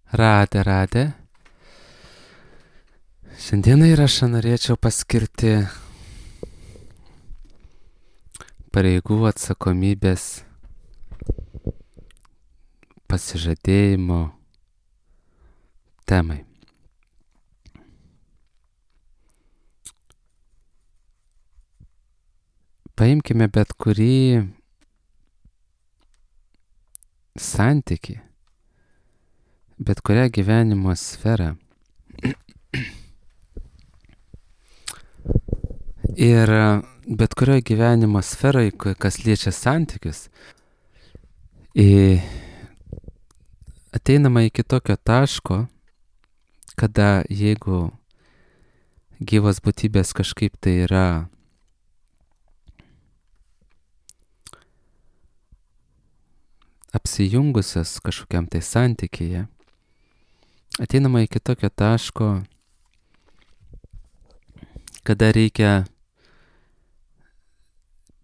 Radė. Šiandieną įrašą norėčiau paskirti pareigų atsakomybės pasižadėjimo temai. Paimkime bet kurį santykį, bet kurią gyvenimo sferą. Ir bet kurioje gyvenimo sferoje, kas liečia santykius, ateinama iki tokio taško, kada jeigu gyvos būtybės kažkaip tai yra apsijungusios kažkokiam tai santykyje, ateinama iki tokio taško, kada reikia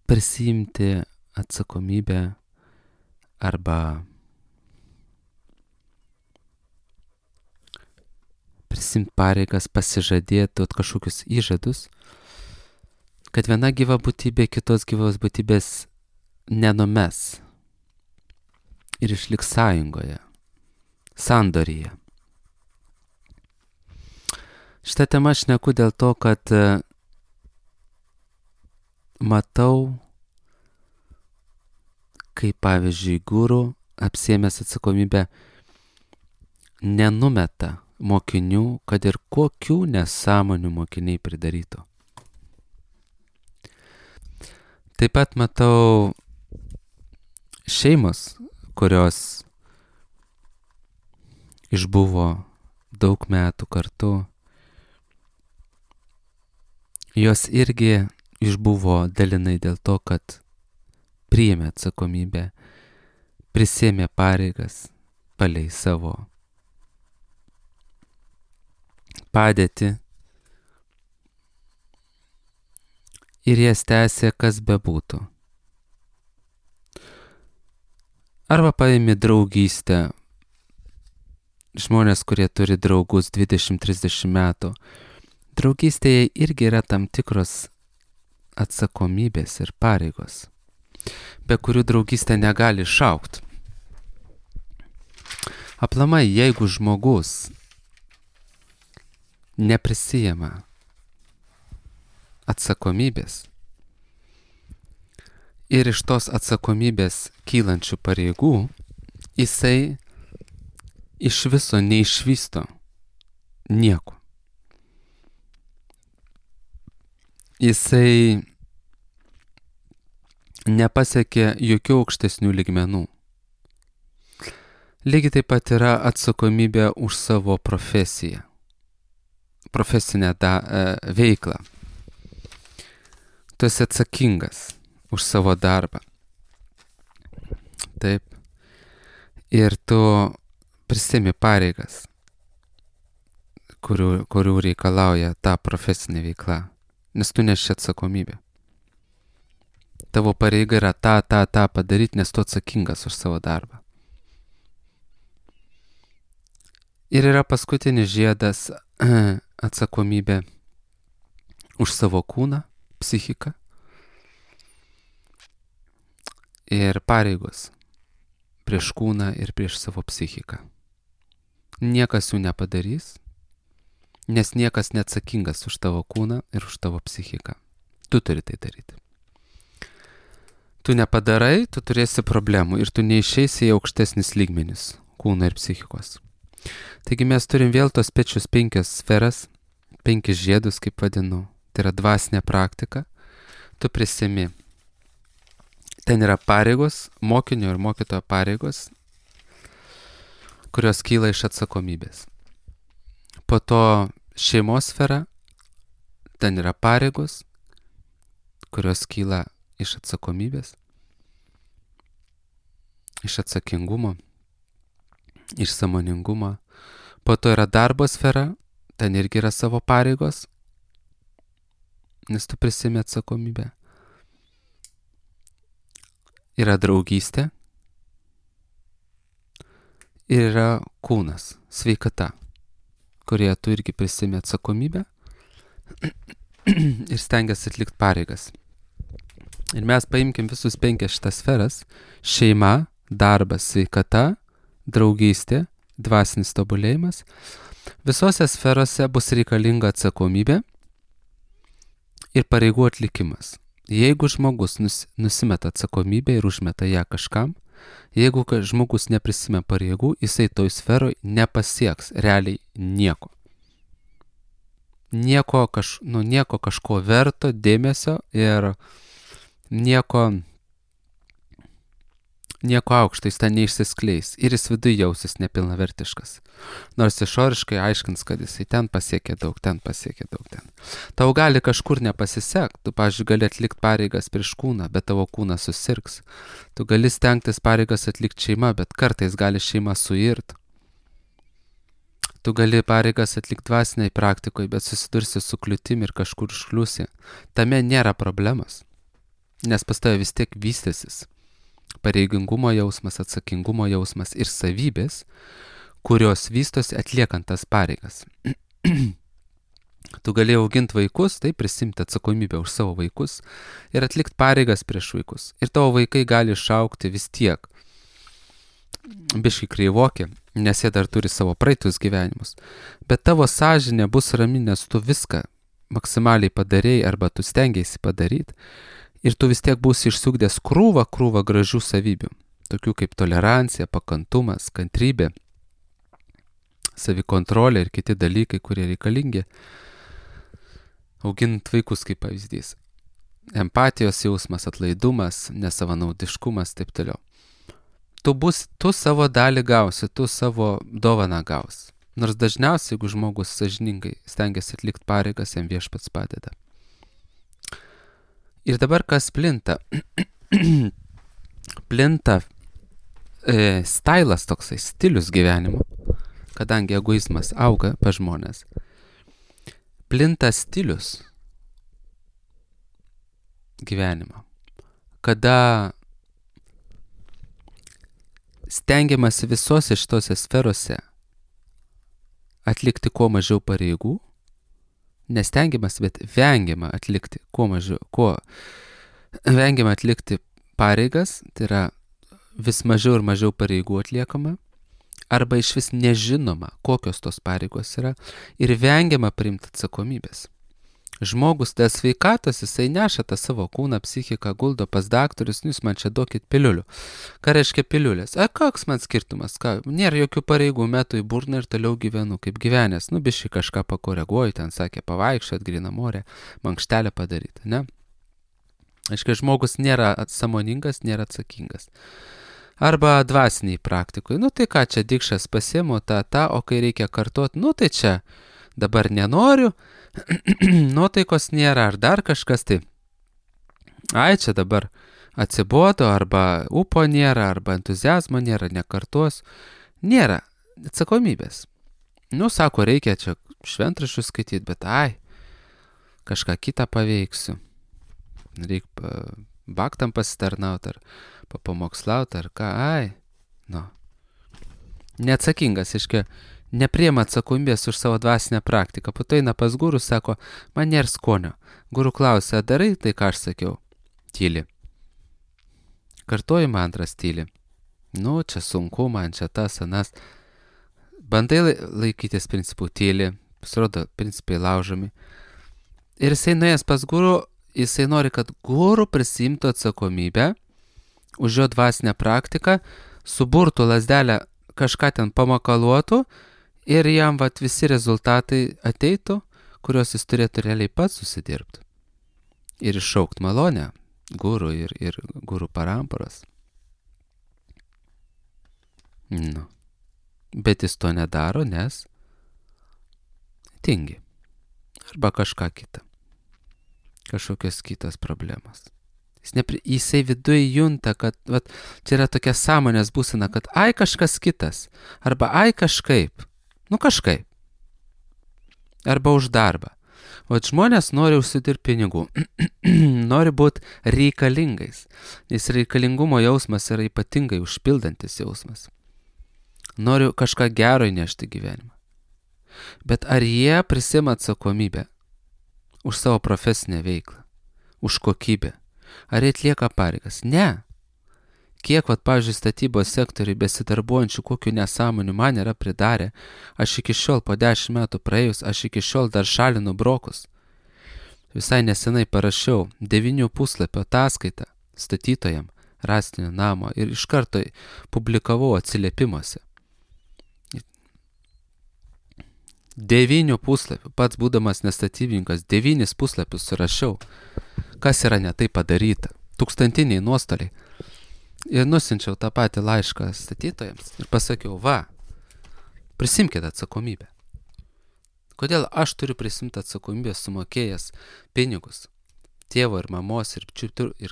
prisiimti atsakomybę arba prisimti pareigas, pasižadėti kažkokius įžadus, kad viena gyva būtybė kitos gyvos būtybės nenumes ir išliks sąjungoje, sandoryje. Šitą temą aš šneku dėl to, kad matau, kaip pavyzdžiui guru apsiėmęs atsakomybę nenumeta mokinių, kad ir kokių nesąmonių mokiniai pridarytų. Taip pat matau šeimos, kurios išbuvo daug metų kartu, jos irgi išbuvo dalinai dėl to, kad priėmė atsakomybę, prisėmė pareigas palei savo padėtį ir jas tęsė kas bebūtų. Arba paėmė draugystę, žmonės, kurie turi draugus 20-30 metų. Draugystėje irgi yra tam tikros atsakomybės ir pareigos, be kurių draugystė negali išaugti. Aplamai, jeigu žmogus neprisijama atsakomybės ir iš tos atsakomybės kylančių pareigų, jisai iš viso neišvysto nieko. Jisai nepasiekė jokių aukštesnių lygmenų. Lygiai taip pat yra atsakomybė už savo profesiją, profesinę veiklą. Tu esi atsakingas už savo darbą. Taip. Ir tu prisiimi pareigas, kurių reikalauja ta profesinė veikla, nes tu neši atsakomybę. Tavo pareiga yra tą padaryti, nes tu atsakingas už savo darbą. Ir yra paskutinis žiedas atsakomybė už savo kūną, psichiką ir pareigos prieš kūną ir prieš savo psichiką. Niekas jų nepadarys, nes niekas neatsakingas už tavo kūną ir už tavo psichiką. Tu turi tai daryti. Tu nepadarai, tu turėsi problemų ir tu neišeisi į aukštesnis lygmenis kūno ir psichikos. Taigi mes turim vėl tos pečius 5 sferas, 5 žiedus, kaip vadinu. Tai yra dvasinė praktika. Tu prisimi. Ten yra pareigos, mokinio ir mokytojo pareigos, kurios kyla iš atsakomybės. Po to šeimos sfera, ten yra pareigos, kurios kyla iš atsakomybės, iš atsakingumo, iš sąmoningumo. Po to yra darbo sfera, ten irgi yra savo pareigos, nes tu prisimi atsakomybę. Yra draugystė ir yra kūnas, sveikata, kurie tu irgi prisimi atsakomybę ir stengiasi atlikti pareigas. Ir mes paimkim visus 5 šitas sferas - šeima, darbas, sveikata, draugystė, dvasinis tobulėjimas. Visose sferose bus reikalinga atsakomybė ir pareigų atlikimas. Jeigu žmogus nusimeta atsakomybę ir užmeta ją kažkam, jeigu žmogus neprisime pareigų, jisai toj sferoj nepasieks realiai nieko. Nieko kažko verto dėmesio ir nieko aukšto jis ten neišsiskleis ir jis viduje jausis nepilnavertiškas. Nors išoriškai aiškins, kad jisai ten pasiekė daug. Tau gali kažkur nepasisekti, tu, pavyzdžiui, gali atlikti pareigas prieš kūną, bet tavo kūnas susirgs. Tu gali stengtis pareigas atlikti šeima, bet kartais gali šeima suirt. Tu gali pareigas atlikti dvasiniai praktikoje, bet susidursi su kliūtim ir kažkur užkliūsi. Tame nėra problemas, nes pas tave vis tiek vystysis pareigingumo jausmas, atsakingumo jausmas ir savybės, kurios vystosi atliekant tas pareigas. Tu gali auginti vaikus, tai prisimti atsakomybę už savo vaikus ir atlikti pareigas prieš vaikus. Ir tavo vaikai gali išaugti vis tiek biškai kreivoki, nes jie dar turi savo praeitus gyvenimus. Bet tavo sąžinė bus rami, nes tu viską maksimaliai padarėjai arba tu stengiaisi padaryti. Ir tu vis tiek būsi išsiugdęs krūvą gražių savybių, tokių kaip tolerancija, pakantumas, kantrybė, savikontrolė ir kiti dalykai, kurie reikalingi, auginant vaikus kaip pavyzdys. Empatijos jausmas, atlaidumas, nesavanaudiškumas, taip toliau. Tu savo dalį gausi, tu savo dovaną gausi. Nors dažniausiai, jeigu žmogus sąžiningai stengiasi atlikti pareigas, jam Viešpats padeda. Ir dabar kas plinta? Plinta stailas toksai, stilius gyvenimo, kadangi egoizmas auga pas žmonės. Plinta stilius gyvenimo, kada stengiamasi visose šitose sferose atlikti kuo mažiau pareigų, nestengiamas, bet vengiama atlikti vengiama atlikti pareigas, tai yra vis mažiau ir mažiau pareigų atliekama, arba iš vis nežinoma, kokios tos pareigos yra, ir vengiama priimti atsakomybės. Žmogus dėl sveikatos, jisai neša tą savo kūną, psichiką, guldo pas daktorius, jūs man čia duokit piliulių. Ką reiškia piliulės? Koks man skirtumas? Nėra jokių pareigų, metu į burną ir toliau gyvenu kaip gyvenęs. Biškai kažką pakoreguoju, ten sakė pavaikščiot, gryną morę, mankštelę padaryti, ne? Aiškiai, žmogus nėra sąmoningas, nėra atsakingas. Arba dvasiniai praktikoje. Tai ką, čia dikšas pasiemu tą, o kai reikia kartuoti, tai čia dabar nenoriu, nuotaikos nėra, ar dar kažkas, tai čia dabar atsibodo, arba upo nėra, arba entuziazmo nėra, nekartos, nėra atsakomybės. Sako, reikia čia šventraščius skaityti, bet kažką kitą paveiksiu. Reikia baktam pasitarnauti, ar papamokslauti, ar ką, Neatsakingas, aiškiai, nepriema atsakomybės už savo dvasinę praktiką. Po to eina pas guru, sako, man nėra skonio. Guru klausia, darai tai, ką aš sakiau? Tyli. Kartuoji mantras, tyli. Čia sunku, man čia tas, anas. Bandai laikytis principų, tyli. Pasirodo, principai laužomi. Ir jisai nuėjęs pas guru, jisai nori, kad guru prisimtų atsakomybę už jo dvasinę praktiką, suburtų lazdelę, kažką ten pamakaluotų, ir jam visi rezultatai ateitų, kuriuos jis turėtų realiai pats susidirbti. Ir iššaukt malonę guru ir guru paramparas. Bet jis to nedaro, nes tingi. Arba kažką kitą. Kažkokios kitos problemos. Jisai viduje junta, kad čia yra tokia sąmonės būsena, kad kažkas kitas. Arba kažkaip. Kažkaip. Arba už darbą. Žmonės nori užsidirbti pinigų. Nori būti reikalingais. Nes reikalingumo jausmas yra ypatingai užpildantis jausmas. noriu kažką gero įnešti gyvenimą. Bet ar jie prisima atsakomybę už savo profesinę veiklą, už kokybę? Ar jie atlieka pareigas? Ne. Kiek, pavyzdžiui, statybos sektoriai besidarbuojančių kokių nesąmonių man yra pridarę, aš iki šiol po 10 metų praėjus, aš iki šiol dar šalinu brokus. Visai nesenai parašiau 9 puslapio ataskaitą statytojam rąstinio namo ir iš karto publikavau atsiliepimuose. 9 puslapių, pats būdamas nestatybininkas, 9 puslapius surašiau, kas yra netai padaryta, tūkstantiniai nuostoliai. Ir nusinčiau tą patį laišką statytojams ir pasakiau, prisimkite atsakomybę. Kodėl aš turiu prisimti atsakomybę sumokėjęs pinigus tėvo ir mamos ir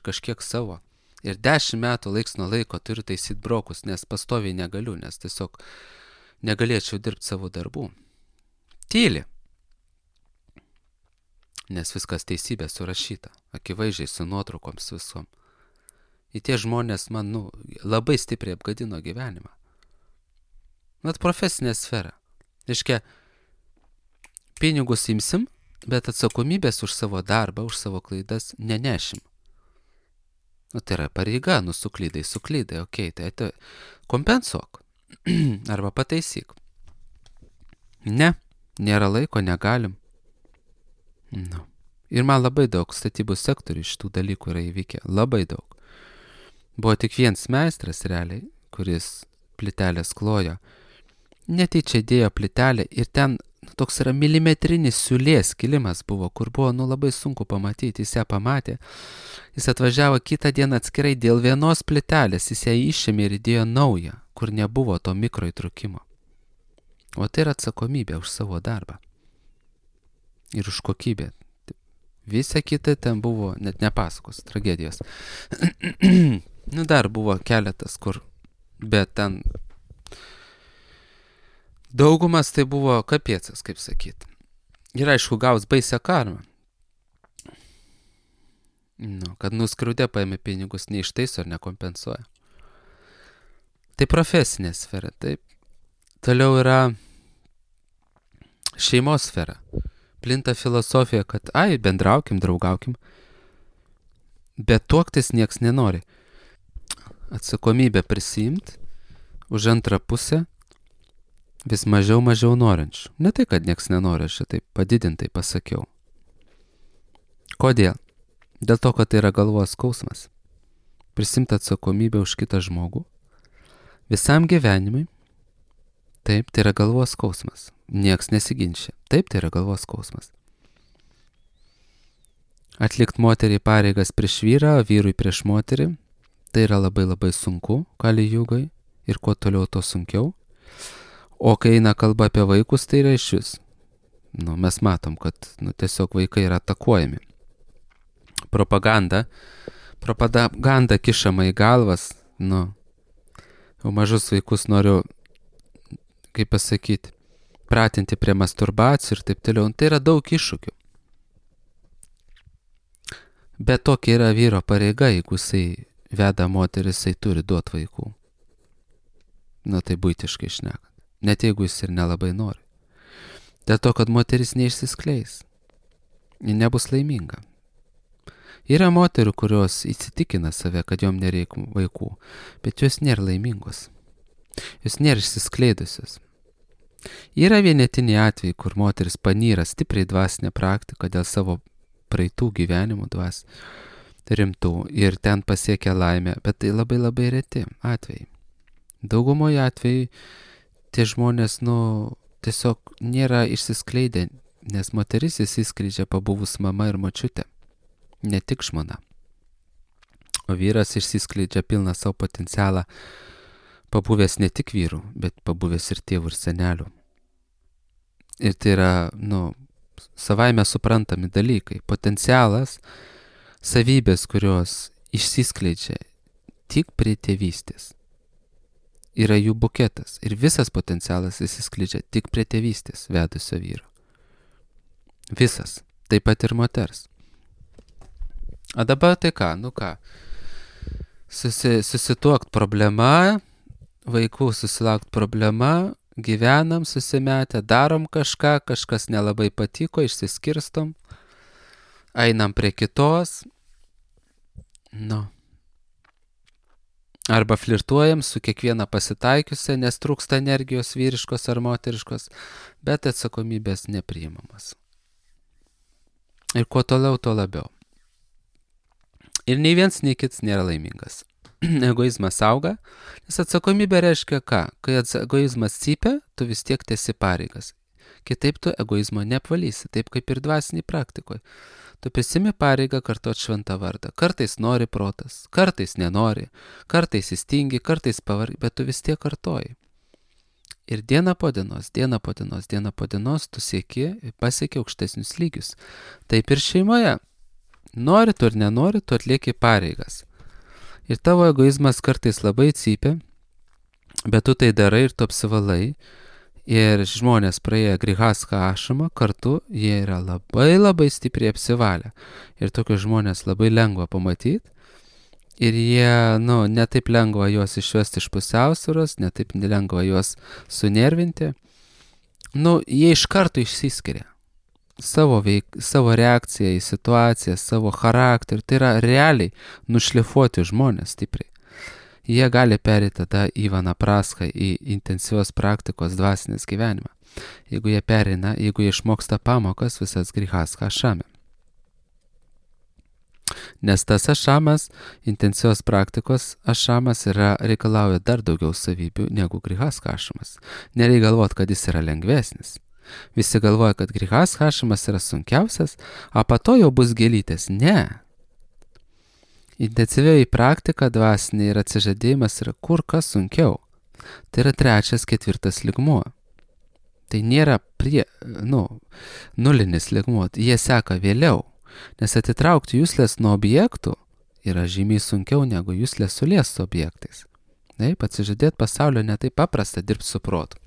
kažkiek savo. Ir 10 metų laiks nuo laiko turiu taisyti brokus, nes pastoviai negaliu, nes tiesiog negalėčiau dirbti savo darbų. Tyli. Nes viskas teisybė surašyta, akivaizdžiai su nuotraukoms visom. Ir tie žmonės man, labai stipriai apgadino gyvenimą. Net profesinė sfera. Reiškia, pinigus imsim, bet atsakomybės už savo darbą, už savo klaidas nenešim. Tai yra pareiga, suklydai, okei, tai kompensuok. Arba pataisyk. Ne, nėra laiko, negalim. Ir man labai daug statybų sektorių šitų dalykų yra įvykę. Labai daug. Buvo tik vienas meistras realiai, kuris plytelės klojo. Netyčia dėjo plytelę ir ten toks yra milimetrinis siūlės kilimas buvo, kur buvo labai sunku pamatyti. Jis ją pamatė. Jis atvažiavo kitą dieną atskirai dėl vienos plytelės. Jis ją išėmė ir įdėjo naują, kur nebuvo to mikroįtrūkimo. O tai yra atsakomybė už savo darbą. Ir už kokybę. Visa kita ten buvo, net nepasakos, tragedijos. Dar buvo keletas, kur, bet ten daugumas tai buvo kapiecas, kaip sakyt. Ir aišku, gaus baisią karmą. Kad nuskriaudė paėmė pinigus, neištaiso ar nekompensuoja. Tai profesinė sfera, taip. Toliau yra šeimos sfera. Plinta filosofija, kad bendraukim, draugaukim, bet tuoktis nieks nenori. Atsakomybę prisiimt už antrą pusę vis mažiau norinčių. Ne tai, kad nieks nenori, aš taip padidintai pasakiau. Kodėl? Dėl to, kad tai yra galvos skausmas. Prisimti atsakomybę už kitą žmogų visam gyvenimui. Taip, tai yra galvos skausmas. Nieks nesiginčia. Taip, tai yra galvos skausmas. Atlikt moteriai pareigas prieš vyrą, vyrui prieš moterį. Tai yra labai sunku, kali jūgai. Ir kuo toliau, to sunkiau. O kai eina kalba apie vaikus, tai yra išvis. Mes matom, kad tiesiog vaikai yra atakuojami. Propaganda kišama į galvas. O mažus vaikus noriu, kaip pasakyti, pratinti prie masturbacijų ir taip toliau. Tai yra daug iššūkių. Bet tokia yra vyro pareiga, jeigu jisai veda moteris, jisai turi duoti vaikų. Tai buitiškai šnekant. Net jeigu jis ir nelabai nori. Dėl to, kad moteris neišsiskleis. Ji nebus laiminga. Yra moterų, kurios įsitikina save, kad jom nereikia vaikų, bet jos nėra laimingos. Jos nėra išsiskleidusios. Yra vienetiniai atvejai, kur moteris panyra stipriai dvasinę praktiką dėl savo praeitų gyvenimų rimtų ir ten pasiekia laimę, bet tai labai reti atvejai. Daugumoje atvejai tie žmonės, tiesiog nėra išsiskleidę, nes moteris išsiskleidžia pabuvus mama ir močiutė, ne tik žmona. O vyras išsiskleidžia pilną savo potencialą, pabuvęs ne tik vyrų, bet pabuvęs ir tėvų ir senelių. Ir tai yra, savaime suprantami dalykai. Potencialas, savybės, kurios išsiskleidžia tik prie tėvystės. Yra jų buketas. Ir visas potencialas išsiskleidžia tik prie tėvystės vedusio vyro. Visas. Taip pat ir moters. O dabar tai ką? Susituokt problema, vaikų susilaukti problema, gyvenam susimetę, darom kažką, kažkas nelabai patiko, išsiskirstom, einam prie kitos, arba flirtuojam su kiekviena pasitaikiusia, nes trūksta energijos vyriškos ar moteriškos, bet atsakomybės nepriimamas. Ir kuo toliau, tuo labiau. Ir nei viens, nei kitas nėra laimingas. Egoizmas auga, nes atsakomybė reiškia ką? Kai egoizmas cypia, tu vis tiek tesi pareigas. Kitaip tu egoizmo neapvalysi, taip kaip ir dvasiniai praktikoje. Tu prisimi pareigą kartuot šventą vardą. Kartais nori protas, kartais nenori, kartais įstingi, kartais pavargi, bet tu vis tiek kartoji. Ir diena po dienos tu pasieki aukštesnius lygius. Taip ir šeimoje. Nori tu ir nenori, tu atlieki pareigas. Ir tavo egoizmas kartais labai cypia, bet tu tai darai ir tu apsivalai. Ir žmonės praėję grihastha ašramą kartu, jie yra labai stipriai apsivalę. Ir tokius žmonės labai lengva pamatyti. Ir jie, netaip lengva juos išvesti iš pusiausvyros, netaip lengva juos sunervinti. Jie iš karto išsiskiria. Savo reakciją į situaciją, savo charakterį. Tai yra realiai nušlifuoti žmonės stipriai. Jie gali perėti tada į vanaprasthą, į intensyvios praktikos dvasinės gyvenimą. Jeigu jie išmoksta pamokas visas grihastha ašrame. Nes tas ašramas, intensyvios praktikos ašramas reikalauja dar daugiau savybių negu grihastha ašramas. Nereikia galvoti, kad jis yra lengvesnis. Visi galvoja, kad grihastha ašramas yra sunkiausias, o po to jau bus gėlytės. Ne. Intensyvioji praktika dvasinė ir atsižadėjimas yra kur kas sunkiau. Tai yra 3., 4. lygmuo. Tai nėra nulinis lygmuo, jie seka vėliau. Nes atitraukti juslės nuo objektų yra žymiai sunkiau negu juslės sulies su objektais. Taip, atsižadėti pasaulio netaip paprasta dirbti su protu.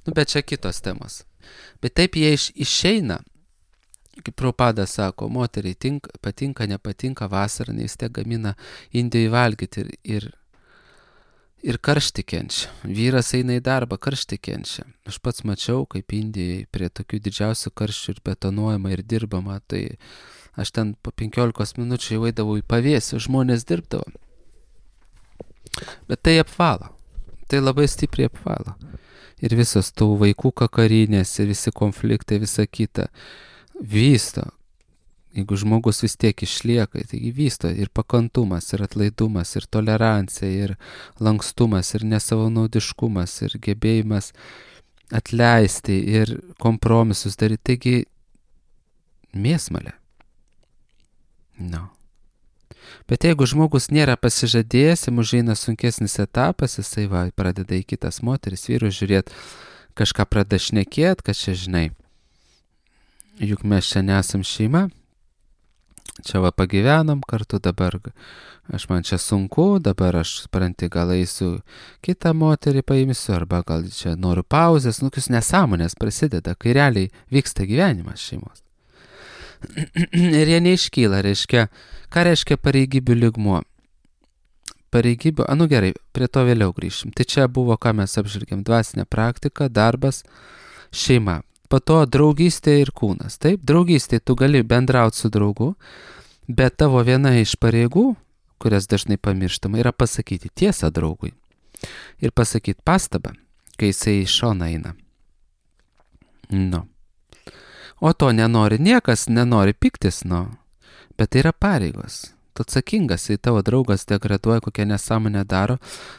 Bet čia kitos temos. Bet taip jie išeina. Kaip Prabhupada sako, moteriai patinka, nepatinka vasarą, nes tiek gamina Indijoje valgyti ir karštį kenčia. Vyras eina į darbą, karštį kenčia. Aš pats mačiau, kaip Indijoje prie tokių didžiausių karščių ir betonuojama ir dirbama, tai aš ten po 15 minučių jau eidavau į pavėsį, žmonės dirbdavo. Bet tai apvalo. Tai labai stipriai apvalo. Ir visos tų vaikų kakarinės, ir visi konfliktai, visa kita vysto. Jeigu žmogus vis tiek išlieka, taigi vysto ir pakantumas, ir atlaidumas, ir tolerancija, ir lankstumas, ir nesavanaudiškumas, ir gebėjimas atleisti, ir kompromisus daryti. Taigi mėsmalė. Bet jeigu žmogus nėra pasižadėjęs, jam užeina sunkesnis etapas, jisai pradeda į kitas moteris, vyrus žiūrėti, kažką pradeda šnekėti, kad čia žinai. Juk mes čia nesam šeima, čia pagyvenam kartu, dabar man čia sunku, dabar aš supranti, gal eisiu kitą moterį paimsiu, arba gal čia noriu pauzės, kokius nesąmonės prasideda, kai realiai vyksta gyvenimas šeimos. Ir jie neiškyla, ką reiškia pareigybių lygmuo? Pareigybių, gerai, prie to vėliau grįšim. Tai čia buvo, ką mes apžvelgėm, dvasinė praktika, darbas, šeima. Po to draugystė ir kūnas. Taip, draugystė tu gali bendrauti su draugu, bet tavo viena iš pareigų, kurias dažnai pamirštama, yra pasakyti tiesą draugui. Ir pasakyti pastabą, kai jisai iš šono eina. O to nenori niekas, nenori piktis, bet tai yra pareigos. Tu atsakingas, jei tavo draugas degraduoja, kokią nesąmonę daro,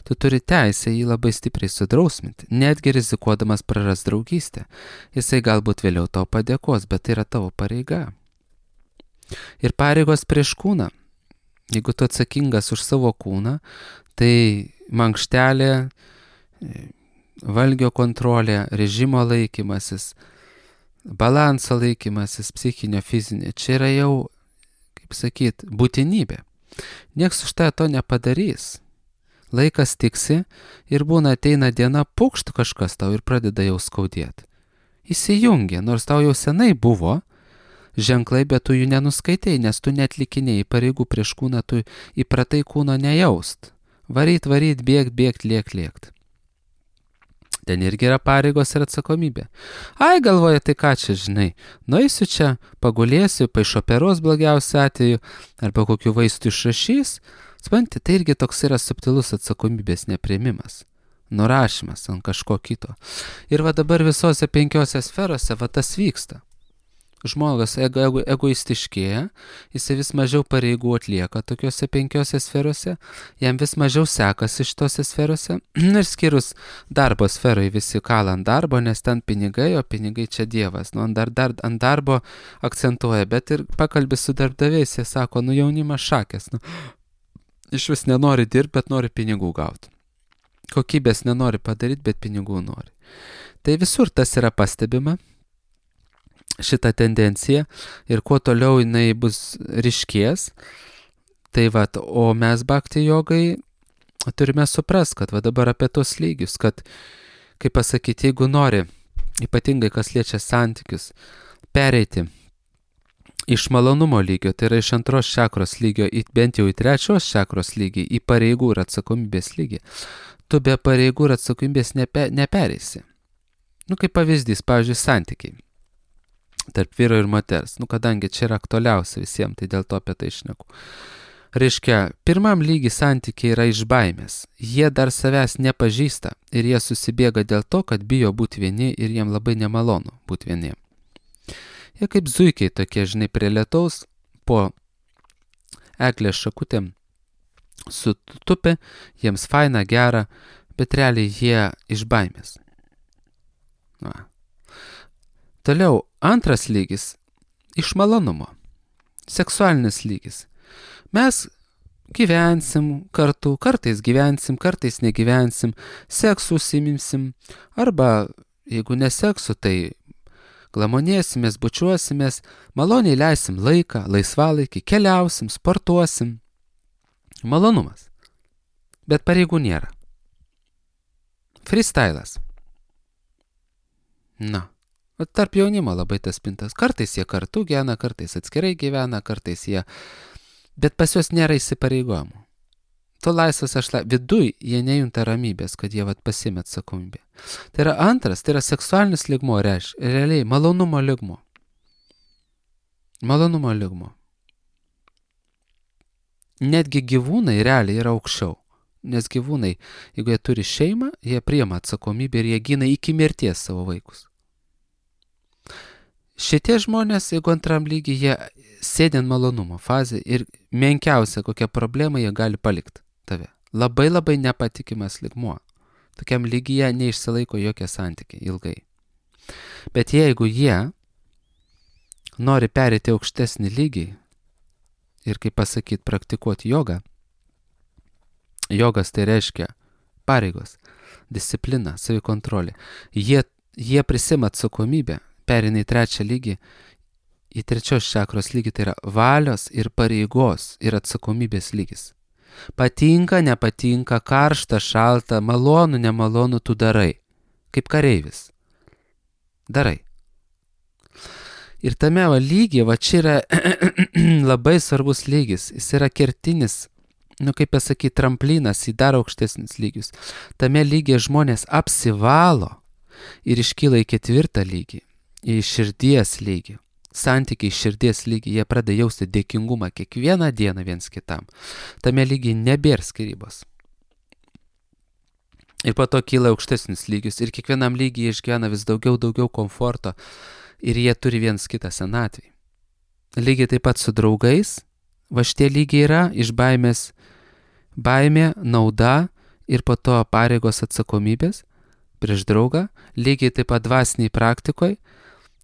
tu turi teisę jį labai stipriai sudrausminti, netgi rizikuodamas praras draugystę. Jisai galbūt vėliau tau padėkos, bet tai yra tavo pareiga. Ir pareigos prieš kūną. Jeigu tu atsakingas už savo kūną, tai mankštelė, valgio kontrolė, režimo laikymasis, balanso laikymasis, psichinio, fizinio, čia yra jau, kaip sakyt, būtinybė. Niekas už tai to nepadarys. Laikas tiksi ir būna ateina diena, pukšt kažkas tau ir pradeda jau skaudėti. Įsijungia, nors tau jau senai buvo ženklai, bet tu jų nenuskaitai, nes tu netlikinėjai pareigų prieš kūną, tu įpratai kūno nejaust. Varyt, bėgt, lėkt. Ten irgi yra pareigos ir atsakomybė. Ai, galvoja, tai ką čia, žinai, nueisiu čia, pagulėsiu, paišoperos blogiausiu atveju, arba kokiu vaistų išrašys. Supranti, tai irgi toks yra subtilus atsakomybės nepriėmimas, nurašymas ant kažko kito. Ir va dabar visose 5 sferose va tas vyksta. Žmogus egoistiškėja, jis vis mažiau pareigų atlieka tokiuose 5 sferose, jam vis mažiau sekasi šitose sferose, ir skyrus darbo sferoje visi kala ant darbo, nes ten pinigai, o pinigai čia Dievas. Ant darbo akcentuoja, bet ir pakalbė su darbdaviais, jie sako, jaunimas šakės, iš vis nenori dirbti, bet nori pinigų gauti. Kokybės nenori padaryti, bet pinigų nori. Tai visur tas yra pastebima, šitą tendenciją, ir kuo toliau jinai bus ryškės, tai o mes bhakti jogai turime suprast, kad dabar apie tos lygius, kad, kaip pasakyti, jeigu nori, ypatingai kas liečia santykius, pereiti iš malonumo lygio, tai yra iš 2 čakros lygio, bent jau į 3 čakros lygį, į pareigų ir atsakomybės lygį, tu be pareigų ir atsakomybės nepereisi. Kaip pavyzdys, pavyzdžiui, santykiai tarp vyro ir moters. Kadangi čia yra aktualiausia visiems, tai dėl to apie tai šneku. Reiškia, pirmam lygiai santykiai yra iš baimės. Jie dar savęs nepažįsta ir jie susibėga dėl to, kad bijo būti vieni ir jiem labai nemalonu būti vieniem. Jie kaip zuikiai tokie, žinai, prie lietaus po eglės šakutėm sutupė, jiems faina, gera, bet realiai jie iš baimės. Toliau, antras lygis iš malonumo, seksualinis lygis. Mes gyvensim kartu, kartais gyvensim, kartais negyvensim, seksu užsiimsim, arba jeigu neseksu, tai glamonėsimės, bučiuosimės, maloniai leisim laiką, laisvalaikį, keliausim, sportuosim. Malonumas. Bet pareigų nėra. Freestylas. Tarp jaunimo labai tas pintas. Kartais jie kartu gyvena, kartais atskirai gyvena, kartais jie... Bet pas juos nėra įsipareigojimų. Tu laisvas viduj jie nejunta ramybės, kad jie pasiėmė atsakomybę. Tai yra antras, tai yra seksualinis lygmuo, realiai malonumo lygmuo. Malonumo lygmuo. Netgi gyvūnai realiai yra aukščiau. Nes gyvūnai, jeigu jie turi šeimą, jie priima atsakomybę ir jie gina iki mirties savo vaikus. Šitie žmonės, jeigu antram lygiai, jie sėdi ant malonumo fazė ir menkiausia kokia problema jie gali palikti tave. Labai labai nepatikimas lygmuo. Tokiam lygyje neišsilaiko jokie santykiai ilgai. Bet jeigu jie nori perėti aukštesnį lygį ir, kaip pasakyti, praktikuoti jogą, jogas tai reiškia pareigos, disciplina, savikontrolė. Jie prisima atsakomybę, perina į 3 lygį, į 3 čakros lygį, tai yra valios ir pareigos ir atsakomybės lygis. Patinka, nepatinka, karšta, šalta, malonu, nemalonu, tu darai. Kaip kareivis. Darai. Ir tame lygyje, čia yra labai svarbus lygis. Jis yra kertinis, kaip pasakyti, tramplinas į dar aukštesnis lygius. Tame lygyje žmonės apsivalo ir iškyla į 4 lygį. Į širdies lygį, santykiai širdies lygį, jie pradeda jausti dėkingumą kiekvieną dieną viens kitam. Tame lygiai nebėra skyrybos. Ir po to kyla aukštesnis lygius ir kiekvienam lygiai išgyvena vis daugiau komforto ir jie turi viens kitą senatvį. Lygiai taip pat su draugais, šitie lygiai yra iš baimės, baimė, nauda ir po to pareigos atsakomybės prieš draugą, lygiai taip pat dvasiniai praktikoje.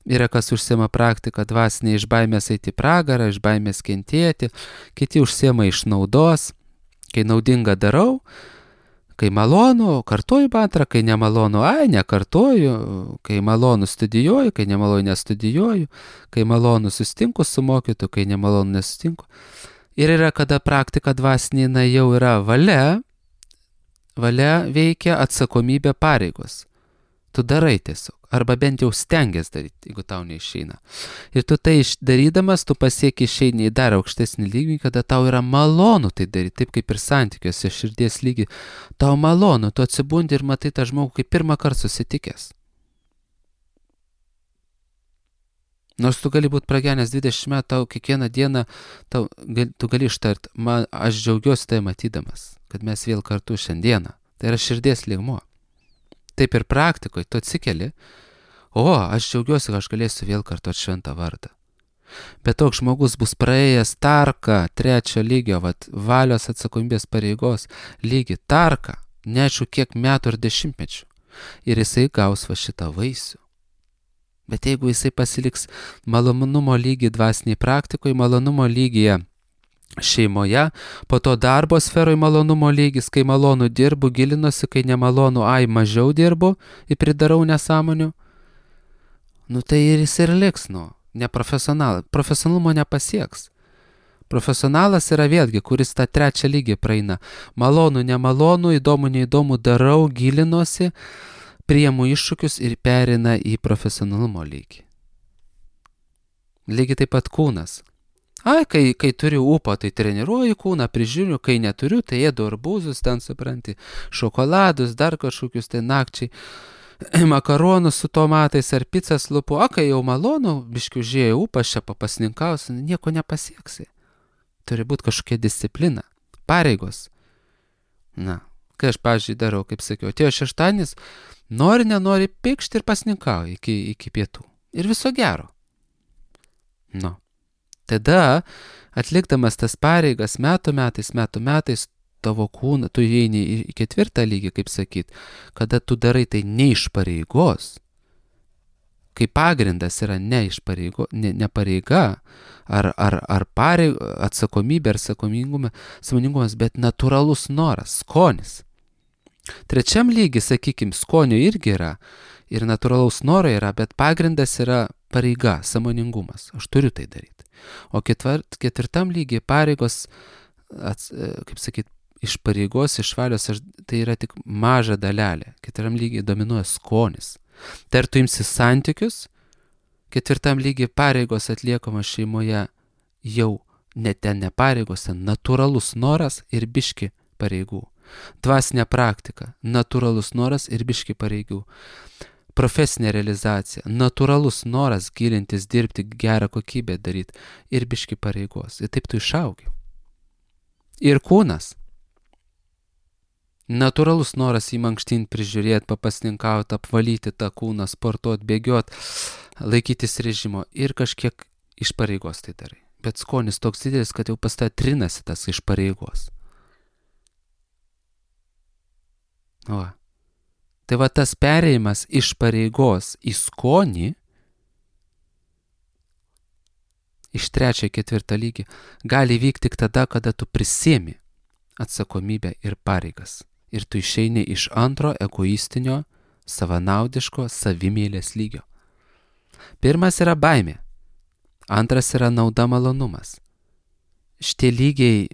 Yra kas užsiema praktiką dvasinė iš baimės eiti į pragarą, iš baimės kentėti, kiti užsiema iš naudos, kai naudinga darau, kai malonu, kartoju mantrą, kai nemalonu, nekartoju, kai malonu studijuoju, kai nemalonu nestudijuoju, kai malonu susitinku su mokytu, kai nemalonu nesutinku. Ir yra, kada praktika dvasinė jau yra valia veikia atsakomybė pareigos. Tu darai tiesiog. Arba bent jau stengiasi daryti, jeigu tau neišeina. Ir tu tai darydamas, tu pasieki išeini į dar aukštesnį lygį, kada tau yra malonu tai daryti, taip kaip ir santykiuose, širdies lygį. Tau malonu, tu atsibundi ir matai tą žmogų kaip pirmą kartą susitikęs. Nors tu gali būti pragyvenęs 20 metų, tau kiekvieną dieną, tu gali ištart, aš džiaugiuosi tai matydamas, kad mes vėl kartu šiandieną. Tai yra širdies lygmuo. Taip ir praktikoje, tu atsikeli, aš džiaugiuosi, kad aš galėsiu vėl kartuoti šventą vardą. Bet toks žmogus bus praėjęs tarką 3 lygio, valios atsakomybės pareigos lygį, tarką, neaišku kiek metų ir dešimtmečių. Ir jisai gaus šitą vaisių. Bet jeigu jisai pasiliks malonumo lygį dvasiniai praktikoje, malonumo lygyje šeimoje, po to darbo sferoje malonumo lygis, kai malonu dirbu, gilinuosi, kai nemalonu, mažiau dirbu ir pridarau nesąmonių, tai ir jis ir liks, neprofesionalas. Profesionalumo nepasieks. Profesionalas yra vėlgi, kuris tą 3 lygį praeina. Malonu, nemalonu, įdomu, neįdomu, darau, gilinuosi, priimu iššūkius ir perina į profesionalumo lygį. Lygiai taip pat kūnas. Kai turiu ūpo, tai treniruoju kūną, prižiūriu, kai neturiu, tai ėdu arbūzus, ten supranti, šokoladus, dar kažkokius tai nakčiai, makaronus su tomatais ar pizzas lupu. Kai jau malonu, biškiu žiūrėjau ūpas, čia papasninkausi, nieko nepasieksi. Turi būti kažkokia disciplina, pareigos. Kai aš, pavyzdžiui, darau, kaip sakiau, atėjo šeštadienis, nenori pykšti ir pasninkauju iki pietų. Ir viso gero. Tada, atlikdamas tas pareigas metų metais, tavo kūną, tu įeini į 4 lygį, kaip sakyt, kada tu darai tai ne iš pareigos, kai pagrindas yra ne pareiga, ar atsakomybė, ar sąmoningumas, bet natūralus noras, skonis. 3 lygiai, sakykim, skonio irgi yra, ir natūralaus noro yra, bet pagrindas yra pareiga, sąmoningumas. Aš turiu tai daryti. O 4 lygiai pareigos, kaip sakyt, iš pareigos, iš valios, tai yra tik maža dalelė. 4 lygiai dominuoja skonis. Tai ar tu imsi santykius, 4 lygiai pareigos atliekamos šeimoje jau ne pareigos, natūralus noras ir biški pareigų. Dvasinė praktika, natūralus noras ir biški pareigų. Profesinė realizacija, natūralus noras gilintis, dirbti, gerą kokybę daryti ir biški pareigos. Ir taip tu išaugi. Ir kūnas. Natūralus noras jį mankštinti, prižiūrėti, papasninkauti, apvalyti tą kūną, sportuoti, bėgioti, laikytis režimo ir kažkiek iš pareigos tai darai. Bet skonis toks didelis, kad jau pas tave trinasi tas iš pareigos. Tai tas perėjimas iš pareigos į skonį, iš 3-4 lygį, gali vykti tik tada, kada tu prisiemi atsakomybę ir pareigas. Ir tu išeini iš antro egoistinio, savanaudiško, savimėlės lygio. Pirmas yra baimė, antras yra nauda, malonumas. Šitie lygiai,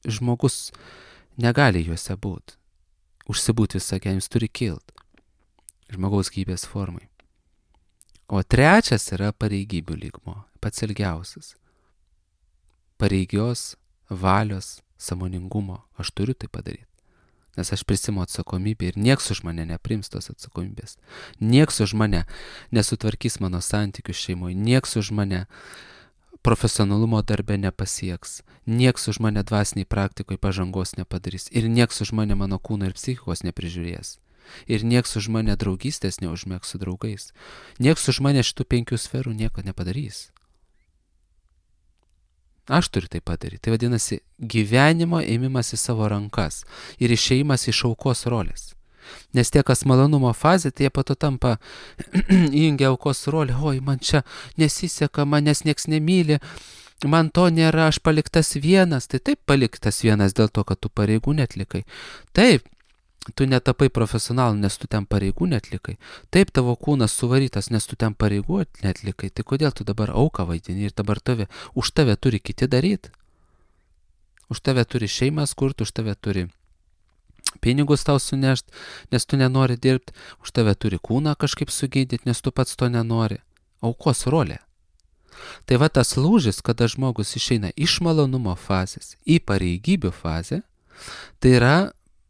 žmogus negali juose būti. Užsibūti visą gyvenimą, jis turi kilt žmogaus gyvybės formai. O 3 yra pareigybių lygmuo, pats ilgiausias. Pareigios, valios, sąmoningumo, aš turiu tai padaryti. Nes aš prisimu atsakomybę ir nieks už mane neprims tos atsakomybės. Nieks už mane nesutvarkys mano santykių šeimoje, nieks už mane profesionalumo darbe nepasieks, nieks už mane dvasiniai praktikoje pažangos nepadarys ir nieks už mane mano kūno ir psichikos neprižiūrės. Ir nieks už mane draugystės neužmėgs su draugais. Nieks už mane šitų 5 sferų nieko nepadarys. Aš turiu tai padaryti. Tai vadinasi gyvenimo ėmimas į savo rankas ir išėjimas iš aukos rolės. Nes tie, kas malonumo fazė, tai jie po to tampa įjungia aukos rolę. Oi, man čia nesiseka, manęs nieks nemyli, man to nėra, aš paliktas vienas. Tai taip paliktas vienas dėl to, kad tu pareigų netlikai. Taip, tu netapai profesionalu, nes tu ten pareigų netlikai. Taip, tavo kūnas suvarytas, nes tu ten pareigų netlikai. Tai kodėl tu dabar auką vaidini ir dabar už tave turi kiti daryti? Už tave turi šeimas kurti, už tave turi pinigus tau sunešt, nes tu nenori dirbti, už tave turi kūną kažkaip sugydyti, nes tu pats to nenori. Aukos rolė. Tai va tas lūžis, kada žmogus išeina iš malonumo fazės į pareigybių fazę, tai yra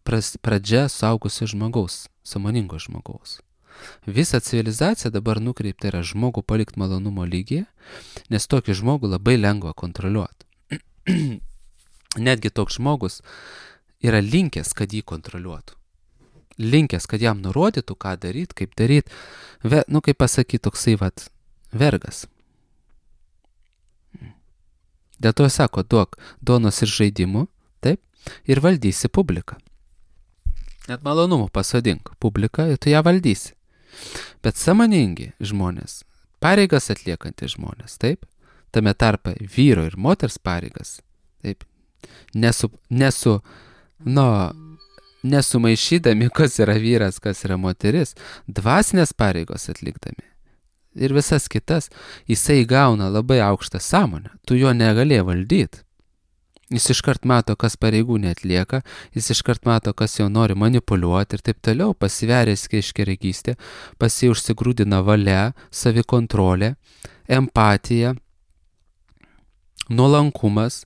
pradžia suaugusio žmogaus, sąmoningo žmogaus. Visa civilizacija dabar nukreipta yra žmogų palikti malonumo lygyje, nes tokį žmogų labai lengva kontroliuoti. Netgi toks žmogus yra linkęs, kad jį kontroliuotų. Linkęs, kad jam nurodytų, ką daryti, kaip daryti. Kaip pasakyti, toksai vergas. Dėl to sako, duok duonos ir žaidimų, taip, ir valdysi publiką. Net malonumų pasodink publiką ir tu ją valdysi. Bet sąmoningi žmonės, pareigas atliekantys žmonės, taip, tame tarpe vyro ir moters pareigas, taip, nesumaišydami, kas yra vyras, kas yra moteris, dvasinės pareigos atlikdami ir visas kitas, jisai gauna labai aukštą sąmonę, tu jo negalėjai valdyti. Jis iškart mato, kas pareigų neatlieka, jis iškart mato, kas jau nori manipuliuoti ir taip toliau, pasiveręs keiškeregystė, užsigrūdina valia, savikontrolė, empatija, nuolankumas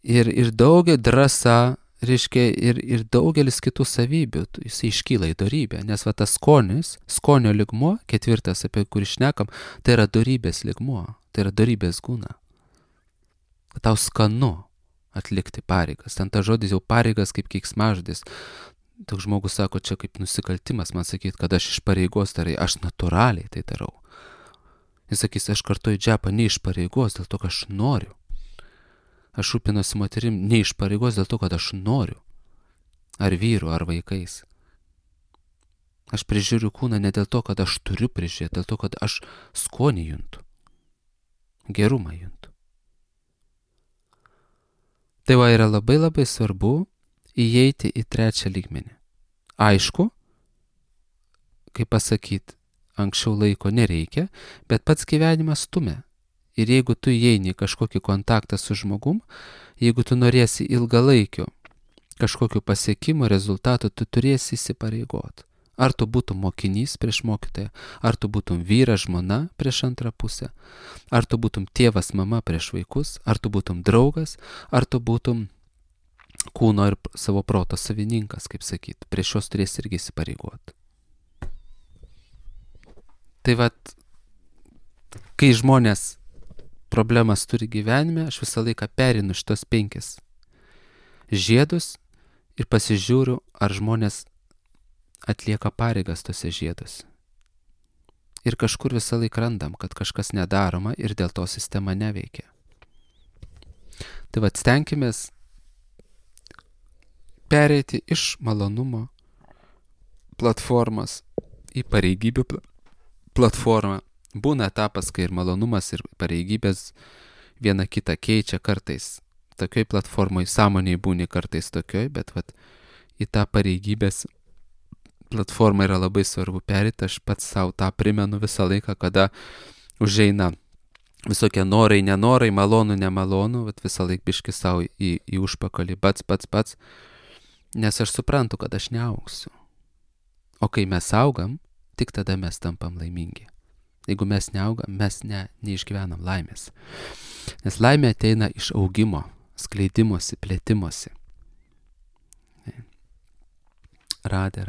ir daugia drąsa, reiškia, ir daugelis kitų savybių, jis iškyla į dorybę, nes tas skonio lygmuo, 4, apie kurį šnekam, tai yra dorybės lygmuo, tai yra dorybės gūna. Tau skanu atlikti pareigas. Ten ta žodis jau pareigas kaip keiksmažodis. Toks žmogus sako, čia kaip nusikaltimas man sakyti, kad aš iš pareigos darai, aš natūraliai tai darau. Jis sakys, aš kartuoju džepą ne iš pareigos, dėl to, kad aš noriu. Aš rūpinuosi moterim ne iš pareigos, dėl to, kad aš noriu. Ar vyru, ar vaikais. Aš prižiūriu kūną ne dėl to, kad aš turiu prižiūrėti, dėl to, kad aš skonį juntu. Gerumą juntu. Tai yra labai labai svarbu įeiti į 3 lygmenį. Aišku, kaip pasakyti, anksčiau laiko nereikia, bet pats gyvenimas stumia. Ir jeigu tu įeini į kažkokį kontaktą su žmogum, jeigu tu norėsi ilgalaikio kažkokiu pasiekimu, rezultatų, tu turėsi įsipareigoti. Ar tu būtum mokinys prieš mokytoją, ar tu būtum vyras, žmona prieš antrą pusę, ar tu būtum tėvas, mama prieš vaikus, ar tu būtum draugas, ar tu būtum kūno ir savo proto savininkas, kaip sakyti, prieš juos turėsi irgi įsipareigoti. Tai kai žmonės problemas turi gyvenime, aš visą laiką perinu šitos 5 žiedus ir pasižiūriu, ar žmonės atlieka pareigas tose žieduose. Ir kažkur visą laiką randam, kad kažkas nedaroma ir dėl to sistema neveikia. Tai stenkimės pereiti iš malonumo platformos į pareigybių platformą. Būna etapas, kai ir malonumas, ir pareigybės viena kitą keičia kartais. Tokioj platformoj sąmoniai būni kartais tokioj, bet į tą pareigybės platformą yra labai svarbu perėti. Aš pats savo tą primenu visą laiką, kada užeina visokie norai, nenorai, malonu, nemalonu, visą laiką biški savo į užpakalį, pats, nes aš suprantu, kad aš neaugsiu. O kai mes augam, tik tada mes tampam laimingi. Jeigu mes neaugam, mes neišgyvenam laimės. Nes laimė ateina iš augimo, skleidimosi, plėtimosi. Radė.